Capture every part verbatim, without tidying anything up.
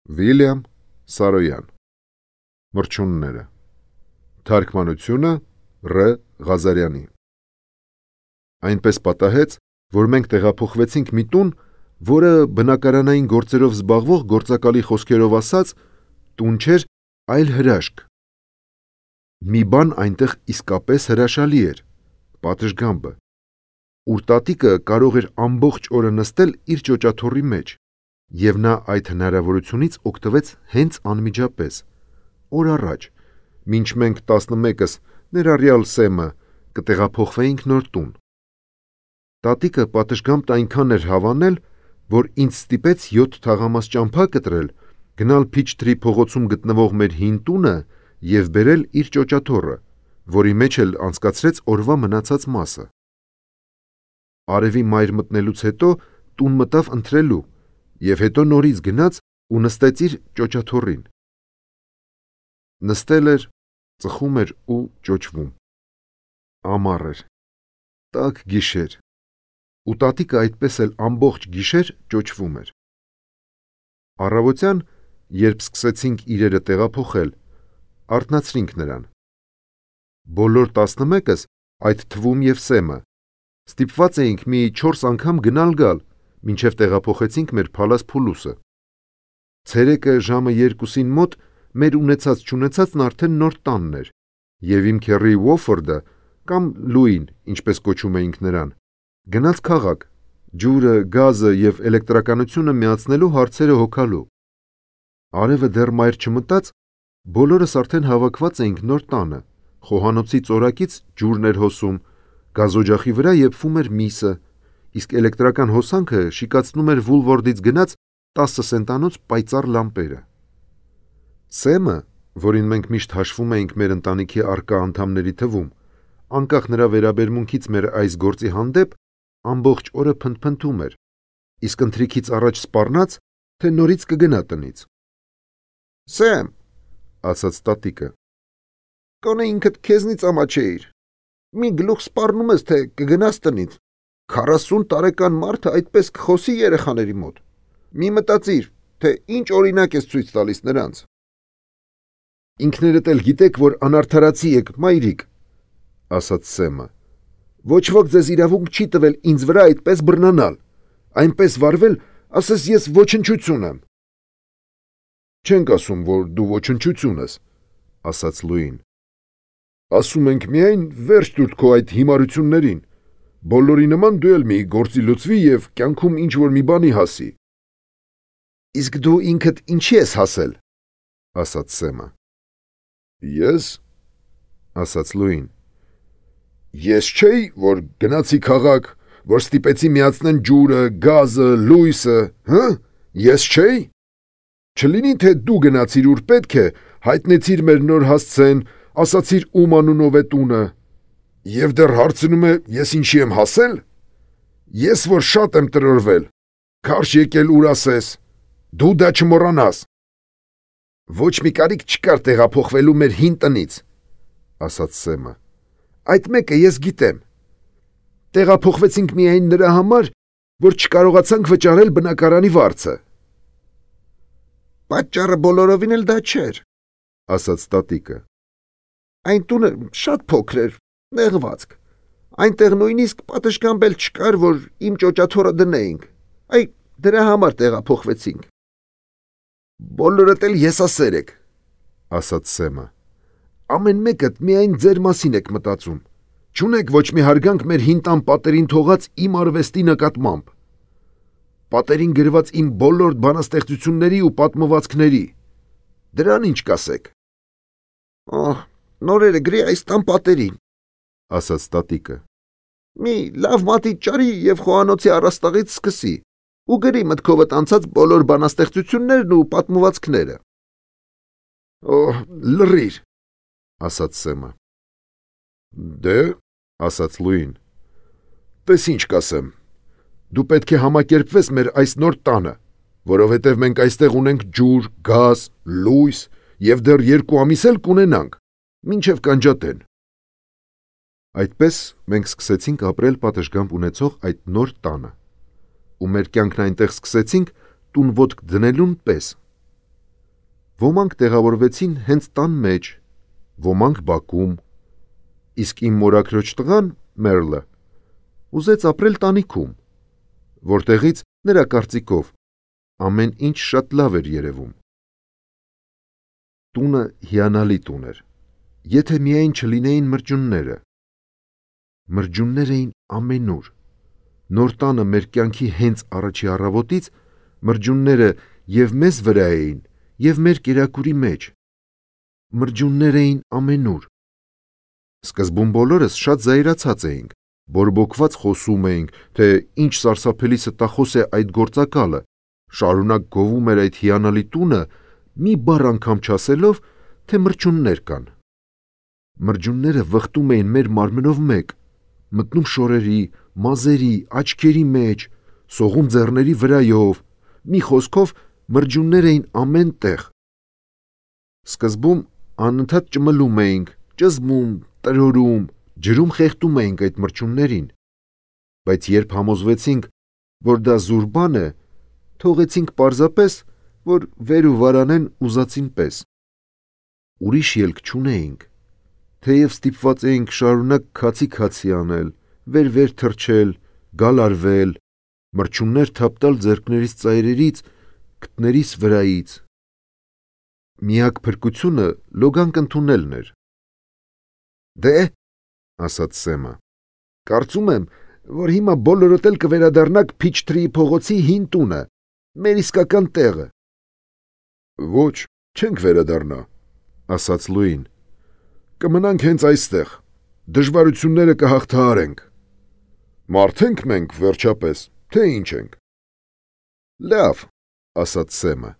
Վիլյամ Սարոյան Մրջունները Թարգմանությունը Ռ. Ղազարյանի Այնպես պատահեց, որ մենք տեղափոխվեցինք մի տուն, որը բնակարանային գործերով զբաղվող գործակալի խոսքերով ասած տուն չէր, այլ հրաշք։ Մի բան այնտեղ իսկապես հրաշալի էր, պատշգամբը, ուր տատիկը կարող էր ամբողջ օրը նստել իր ճոճաթոռի մեջ, և նա այդ հնարավորությունից օգտվեց հենց անմիջապես, օր առաջ, մինչ մենք տասնմեկս, ներառյալ Սեմը, կտեղափոխվեինք նոր տուն։ Տատիկը պատշգամբն այնքան էր հավանել, որ ինձ ստիպեց յոթ թաղամաս ճամփա կտրել, գնալ Փիչթրի փողոցում գտնվող մեր հին տունը և բերել իր ճոճաթոռը, որի մեջ էլ անցկացրեց օրվա մնացած մասը։ Արևի մայր մտնելուց հետո տուն մտավ ընթրելու և հետո նորից գնաց ու նստեց իր ճոճաթոռին։ Նստել էր, ծխում էր ու ճոճվում։ Ամառ էր, տաք գիշեր, ու տատիկը այդպես էլ ամբողջ գիշեր ճոճվում էր։ Առավոտյան, երբ սկսեցինք իրերը տեղափոխել, արթնացրինք նրան։ Բոլոր տասնմեկս, այդ թվում և Սեմը, ստիպված էինք մի չորս անգամ գնալ-գալ, մինչև տեղափոխեցինք մեր փալաս-փուլուսը։ Ցերեկը ժամը երկուսին մոտ մեր ունեցած-չունեցածն արդեն նոր տանն էր, և իմ քեռի Ուոֆորդը, կամ Լուին, ինչպես կոչում էինք նրան, գնաց քաղաք, ջուրը, գազը և էլեկտրականությունը միացնելու հարցերը հոգալու։ Արևը դեռ մայր չմտած, բոլորս արդեն հավաքված էինք նոր տանը, խոհանոցի ծորակից ջուրն էր հոսում, գազօջախի վրա եփվում էր միսը, իսկ էլեկտրական հոսանքը շիկացնում էր Վուլվորդից գնած տասը սենտանոց պայծառ լամպերը։ Սեմը, որին մենք միշտ հաշվում էինք մեր ընտանիքի առկա անդամների թվում, անկախ նրա վերաբերմունքից մեր այս գործի հանդեպ, ամբողջ օրը փնթփնթում էր, իսկ ընթրիքից առաջ սպառնաց, թե նորից կգնա տնից։ «Սեմ», ասաց տատիկը, «գոնե ինքդ քեզնից ամաչեիր, մի գլուխ սպառնում ես, թե կգնաս տնից, քառասուն տարեկան մարդը այդպես կխոսի երեխաների մոտ, մի մտածիր, թե ինչ օրինակ ես ցույց տալիս նրանց»։ «Ինքներդ էլ գիտեք, որ անարդարացի եք, մայրիկ», ասաց Սեմը, «ոչ ոք ձեզ իրավունք չի տվել ինձ վրա այդպես բռնանալ, այնպես վարվել, ասես ես ոչնչություն եմ»։ «Չենք ասում, որ դու ոչնչություն ես», ասաց Լուին։ «Ասում ենք միայն վերջ տուր քո այդ հիմարություններին, բոլորի նման դու էլ մի գործի լուծվի և կյանքում ինչ-որ մի բանի հասի»։ «Իսկ դու ինքդ ինչի ես հասել», ասաց Սեմը։ «Ես», ասաց Լուին, «ես չէի, որ գնացի քաղաք, որ ստիպեցի միացնեն ջուրը, գազը, լույսը, հը՞, ես չէի։ Չլինի, թե դու գնացիր ուր պետք է, հայտնեցիր մեր նոր հասցեն, ասացիր ում անունով է տունը, և դեռ հարցնում է, ես ինչի եմ հասել։ Ես որ շատ եմ տրորվել, քարշ եկել ուր ասես, դու դա չմոռանաս»։ «Ոչ մի կարիք չկար տեղափոխվելու մեր հին տնից», ասաց Սեմը, «այդ մեկը ես գիտեմ։ Տեղափոխվեցինք միայն նրա համար, որ չկարողացանք վճարել բնակարանի վարձը»։ «Պատճառը բոլորովին էլ դա չէր», ասաց տատիկը։ «Այն տունը շատ փոքր էր, նեղվածք, այնտեղ նույնիսկ պատշգամբ էլ չկար, որ իմ ճոճաթոռը դնեինք, այ դրա համար տեղափոխվեցինք»։ «Բոլորդ էլ եսասեր եք», ասաց Սեմը, «ամեն մեկդ միայն ձեր մասին եք մտածում, չունեք ոչ մի հարգանք մեր հին տան պատերին թողած իմ արվեստի նկատմամբ, պատերին գրված իմ բոլոր բանաստեղծությունների ու պատմվածքների, դրան ինչ կասեք»։ «Օհ, նորերը գրի այս տան պատերին», ասաց տատիկը, «մի լավ մատի ճարի և խոհանոցի առաստաղից սկսի ու գրի մտքովդ անցած բոլոր բանաստեղծություններն ու պատմվածքները»։ «Օհ, լռիր», ասաց Սեմը։ «Դե», ասաց Լուին, «տես ինչ կասեմ, դու պետք է համակերպվես մեր այս նոր տանը, որովհետև մենք այստեղ ունենք ջուր, գազ, լույս և դեռ երկու ամիս էլ կունենանք, մինչև կանջատեն»։ Այդպես մենք սկսեցինք ապրել պատշգամբ ունեցող այդ նոր տանը, ու մեր կյանքն այնտեղ սկսեցինք տուն ոտք դնելուն պես։ Ոմանք տեղավորվեցին հենց տան մեջ, ոմանք բակում, իսկ իմ մորաքրոջ տղան, Մերլը, ուզեց ապրել տանիքում, որտեղից նրա կարծիքով ամեն ինչ շատ լավ էր երևում։ Տունը հիանալի տուն էր, եթե միայն չլինեին մրջյունները։ Մրջյուններ էին ամենուր։ Նոր տանը մեր կյանքի հենց առաջի առավոտից մրջյունները և մեզ վրա էին, և մեր կերակուրի մեջ։ Մրջյուններ էին ամենուր։ Սկզբում բոլորս շատ զայրացած էինք, բորբոքված խոսում էինք, թե ինչ սարսափելի ստախոս է այդ գործակալը, շարունակ գովում էր այդ հիանալի տունը, մի բառ անգամ չասելով, թե մրջյուններ կան։ Մրջյունները վխտում էին մեր մարմնով մեկ, մտնում շորերի, մազերի, աչքերի մեջ, սողում ձեռների վրայով, մի խոսքով մրջյուններ էին ամեն տեղ։ Սկզբում անընդհատ ճմլում էինք, ճզմում, տրորում, ջրում խեղդում էինք այդ մրջյուններին, բայց երբ համոզվեցինք, որ դա զուր բան է, թողեցինք պարզապես, որ վեր ու վարանեն ուզածին պես։ Ուրիշ ելք չունեինք, թեև ստիպված էինք շարունակ քացի-քացի անել, վեր-վեր թռչել, գալարվել, մրջյուններ թափ տալ ձեռքներիս ծայրերից, քթներիս վրայից։ Միակ փրկությունը լոգանք ընդունելն էր։ «Դե», ասաց Սեմը, «կարծում եմ, որ հիմա բոլորդ էլ կվերադառնաք Փիչթրիի փողոցի հին տունը, մեր իսկական տեղը»։ «Ոչ, չենք վերադառնա», ասաց Լուին։ «Կմնանք հենց այստեղ, դժվարությունները կհաղթահարենք։ Մարդ ենք մենք, վերջապես, թե ինչ ենք»։ «Լավ», ասաց Սեմը,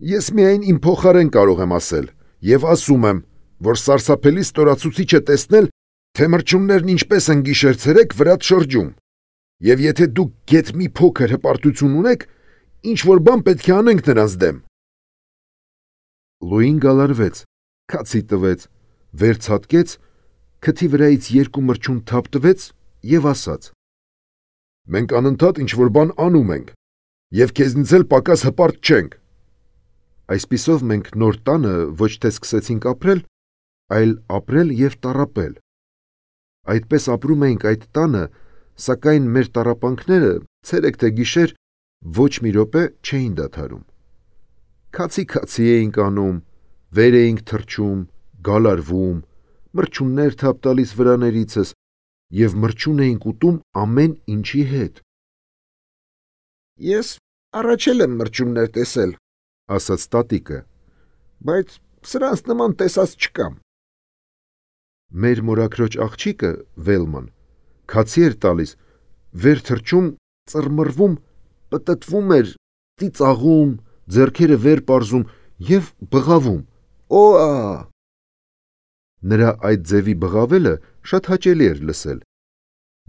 «ես միայն իմ փոխարեն կարող եմ ասել, և ասում եմ, որ սարսափելի ստորացուցիչ է տեսնել, թե մրջյուններն ինչպես են գիշեր-ցերեկ վրադ շրջում, և եթե դուք գեթ մի փոքր հպարտություն ունեք, ինչ-որ բան պետք է անենք նրանց դեմ»։ Լուին գալարվեց, քացի տվեց, վերցատկեց, քթի վրայից երկու մրջյուն թափ տվեց և ասաց. «Մենք անընդհատ ինչ-որ բան անում ենք, և քեզնից էլ պակաս հպարտ չենք»։ Այսպիսով մենք նոր տանը ոչ թե սկսեցինք ապրել, այլ ապրել և տառապել։ Այդպես ապրում էինք այդ տանը, սակայն մեր տառապանքները ցերեկ թե գիշեր ոչ մի րոպե չէին դադարում։ Քացի-քացի էինք անում, վեր էինք թռչում, գալարվում, մրջյուններ թափ տալիս վրաներիցս և մրջյուն էինք ուտում ամեն ինչի հետ։ «Ես առաջ էլ եմ մրջյուններ տեսել», ասաց տատիկը, «բայց սրանց նման տեսած չկամ»։ Մեր մորաքրոջ աղջիկը, Վելման, քացի էր տալիս, վեր թռչում, ծռմռվում, պտտվում էր, ծիծաղում, ձեռքերը վեր պարզում և բղավում. «Օ՜ա»։ Նրա այդ ձևի բղավելը շատ հաճելի էր լսել։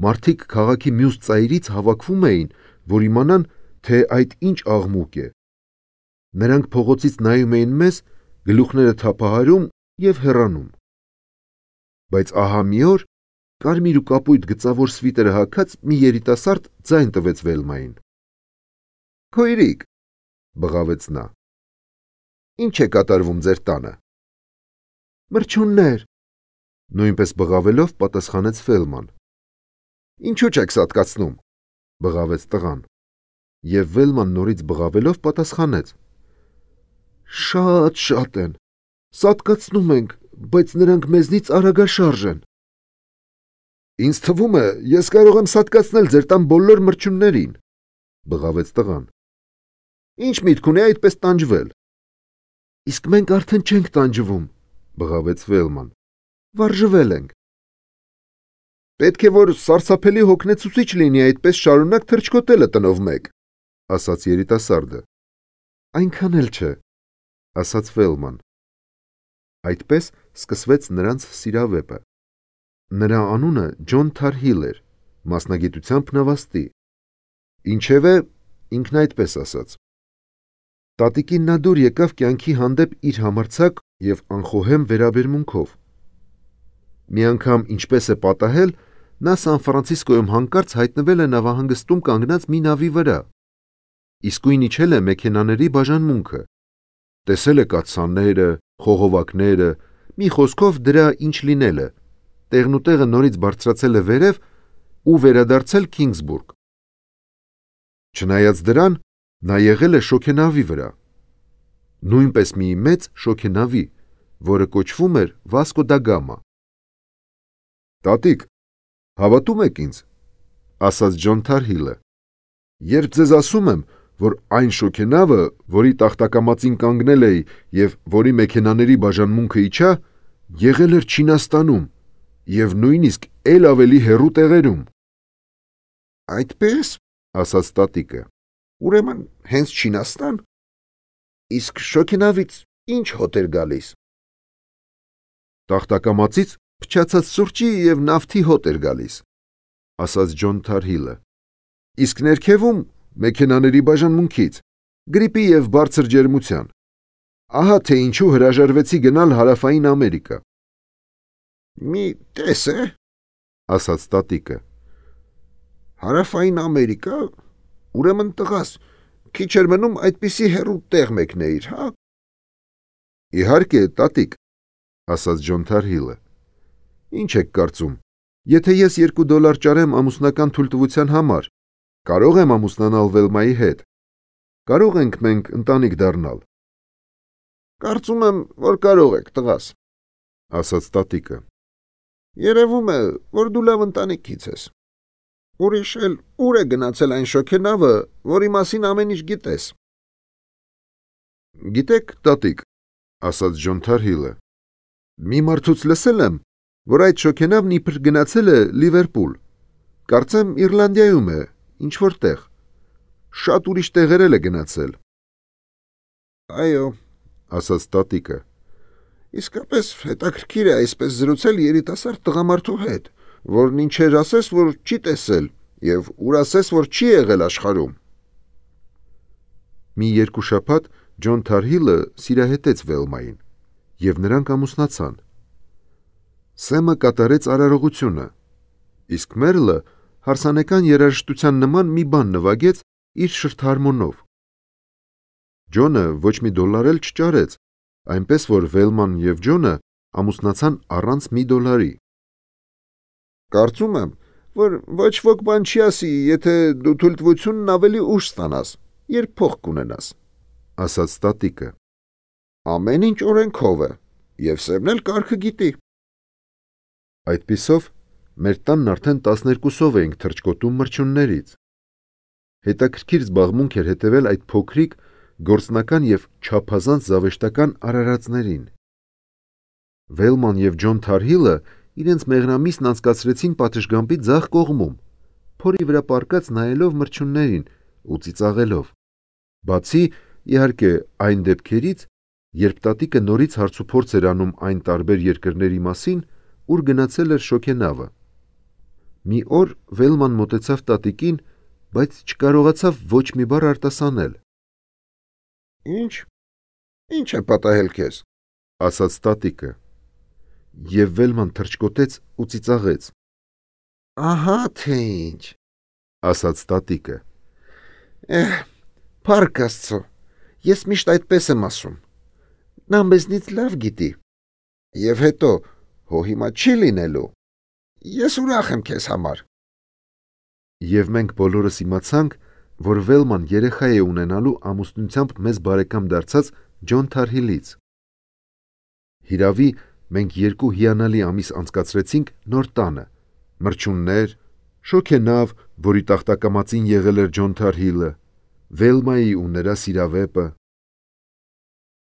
Մարդիկ քաղաքի մյուս ծայրից հավաքվում էին, որ իմանան, թե այդ ինչ աղմուկ է։ Նրանք փողոցից նայում էին մեզ, գլուխները թափահարում և հեռանում։ Բայց ահա մի օր կարմիր ու կապույտ գծավոր սվիթերը հագած մի երիտասարդ ձայն տվեց Վելմային։ «Քույրիկ», բղավեց նա, «ինչ է կատարվում ձեր տանը»։ «Մրջյուններ», նույնպես բղավելով պատասխանեց Վելման։ «Ինչու չեք սատկացնում», բղավեց տղան։ Եվ Վելման նորից բղավելով պատասխանեց. «Շատ-շատ են, սատկացնում ենք, բայց նրանք մեզնից արագաշարժ են»։ «Ինձ թվում է, ես կարող եմ սատկացնել ձեր տան բոլոր մրջյուններին», բղավեց տղան։ «Ինչ միտք ունի այդպես տանջվել»։ «Իսկ մենք արդեն չենք տանջվում», բղավեց Վելման, «վարժվել ենք»։ «Պետք է որ սարսափելի հոգնեցուցիչ լինի այդպես շարունակ թռչկոտելը տնով մեկ», ասաց երիտասարդը։ «Այնքան էլ չէ», ասաց Վելման։ Այդպես սկսվեց նրանց սիրավեպը։ Նրա անունը Ջոն Թարհիլ էր, մասնագիտությամբ նավաստի։ Ինչևէ, ինքն այդպես ասաց։ Տատիկին նա դուր եկավ կյանքի հանդեպ իր համարձակ և անխոհեմ վերաբերմունքով։ Մի անգամ, ինչպես է պատահել, նա Սան Ֆրանցիսկոյում հանկարծ հայտնվել է նավահանգստում կանգնած մի նավի վրա։ Իսկույն իջել է մեքենաների բաժանմունքը։ Տեսել է կաթսաները, խողովակները, մի խոսքով դրա ինչ լինելը, տեղնուտեղը նորից բարձրացել է վերև ու վերադարձել Քինգսբուրգ։ Չնայած դրան, նա եղել է շոգենավի վրա, նույնպես մի մեծ շոգենավի, որը կոչվում էր Վասկո դա Գամա։ Տատիկ, հավատում եք ինձ, ասաց Ջոն Թարհիլը, երբ ձեզ ասում եմ, որ այն շոգենավը, որի տախտակամածին կանգնել էի և որի մեքենաների բաժանմունքը իջա, եղել էր Չինաստանում և նույնիսկ էլ ավելի հեռու տեղերում։ Այդպես, ասաց տատիկը, ուրեմն հենց Չինաստան։ Իսկ շոգենավից ինչ հոտ էր գալիս։ Տախտակամածից փչացած սուրճի և նավթի հոտ էր գալիս, ասաց Ջոն Թարհիլը, իսկ ներքևում մեքենաների բաժանմունքից, գրիպի և բարձր ջերմության։ Ահա թե ինչու հրաժարվեցի գնալ Հարավային Ամերիկա։ Մի տես է, ասաց տատիկը։ Հարավային Ամերիկա, ուրեմն տղաս, քիչ էր մնում այդպիսի հեռու տեղ մեկնեիր, հա։ Իհարկե, տատիկ, ասաց Ջոն Թարհիլը։ Ինչ եք կարծում, եթե ես երկու դոլար ճարեմ ամուսնական թույլտվության համար, կարող եմ ամուսնանալ Վելմայի հետ։ Կարող ենք մենք ընտանիք դառնալ։ Կարծում եմ, որ կարող եք, տղաս, ասաց տատիկը։ Երևում է, որ դու լավ ընտանիքից ես։ Ուրիշ էլ ուր է գնացել այն շոգենավը, որի մասին ամեն ինչ գիտես։ Գիտեք, տատիկ, ասաց Ջոն Թարհիլը, մի մարդուց լսել եմ, որ այդ շոգենավն իբր գնացել է Լիվերպուլ, կարծեմ Իռլանդիայում է, ինչ-որ տեղ, շատ ուրիշ տեղեր էլ է գնացել։ Այո, ասաց տատիկը, իսկապես հետաքրքիր է այսպես զրուցել երիտասարդ տղամարդու հետ, որն ինչեր ասես, որ չի տեսել և ուր ասես, որ չի եղել աշխարհում։ Մի երկու շաբաթ Ջոն Թարհիլը սիրահետեց Վելմային, և նրանք ամուսնացան։ Սեմը կատարեց արարողությունը, իսկ Մերլը հարսանեկան երաժշտության նման մի բան նվագեց իր շրթարմոնով։ Ջոնը ոչ մի դոլար էլ չճարեց, այնպես որ Վելման և Ջոնը ամուսնացան առանց մի դոլարի։ Կարծում եմ, որ ոչ ոք բան չի ասի, եթե դու թույլտվությունն ավելի ուշ ստանաս, երբ փող կունենաս, ասաց տատիկը։ Ամեն ինչ օրենքով է, և Սեմն էլ կարգը գիտի։ Այդպիսով մեր տանն արդեն տասներկուսով էինք թռչկոտում մրջյուններից։ Հետաքրքիր զբաղմունք էր հետևել այդ փոքրիկ, գործնական և չափազանց զավեշտական արարածներին։ Վելման և Ջոն Թարհիլը իրենց մեղրամիսն անցկացրեցին պատշգամբի ձախ կողմում, փորի վրա պառկած նայելով մրջյուններին ու ծիծաղելով, բացի, իհարկե, այն դեպքերից, երբ տատիկը նորից հարցուփորձ էր անում այն տարբեր երկրների մասին, ուր գնացել էր շոգենավը։ Մի օր Վելման մոտեցավ տատիկին, բայց չկարողացավ ոչ մի բառ արտասանել։ Ինչ, ինչ է պատահել քեզ, ասաց տատիկը, և Վելման թռչկոտեց ու ծիծաղեց։ Ահա թե ինչ, ասաց տատիկը։ Էհ, փառք Աստծո, ես միշտ այդպես եմ ասում։ Նա մեզնից լավ գիտի։ Եվ հետո, հո հիմա չի լինելու։ Ես ուրախ եմ քեզ համար։ Եվ մենք բոլորս իմացանք, որ Վելման երեխա է ունենալու ամուսնությամբ մեզ բարեկամ դարձած Ջոն Թարհիլից։ Հիրավի, մենք երկու հիանալի ամիս անցկացրեցինք նոր տանը, մրջյուններ, շոգենավ, որի տախտակամածին եղել էր Ջոն Թարհիլը, Վելմայի ու նրա սիրավեպը։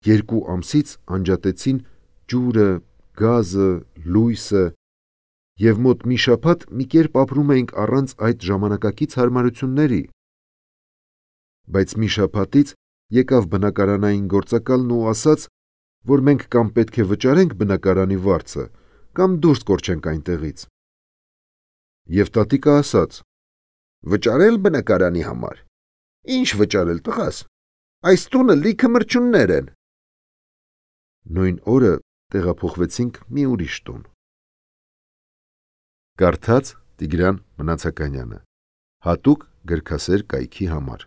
Երկու ամսից անջատեցին ջուրը, գազը, լույսը, և մոտ մի շաբաթ մի կերպ ապրում էինք առանց այդ ժամանակակից հարմարությունների։ Բայց մի շաբաթից եկավ բնակարանային գործակալն ու ասաց, որ մենք կամ պետք է վճարենք բնակարանի վարձը, կամ դուրս կորչենք այնտեղից։ Եվ տատիկը ասաց. Վճարել բնակարանի համար։ Ինչ վճարել, տղաս, այս տունը լիքը մրջյուններ են։ Նույն օրը տեղափոխվեցինք մի ուրիշ տուն։ Կարդաց Տիգրան Մնացականյանը, հատուկ գրքասեր կայքի համար։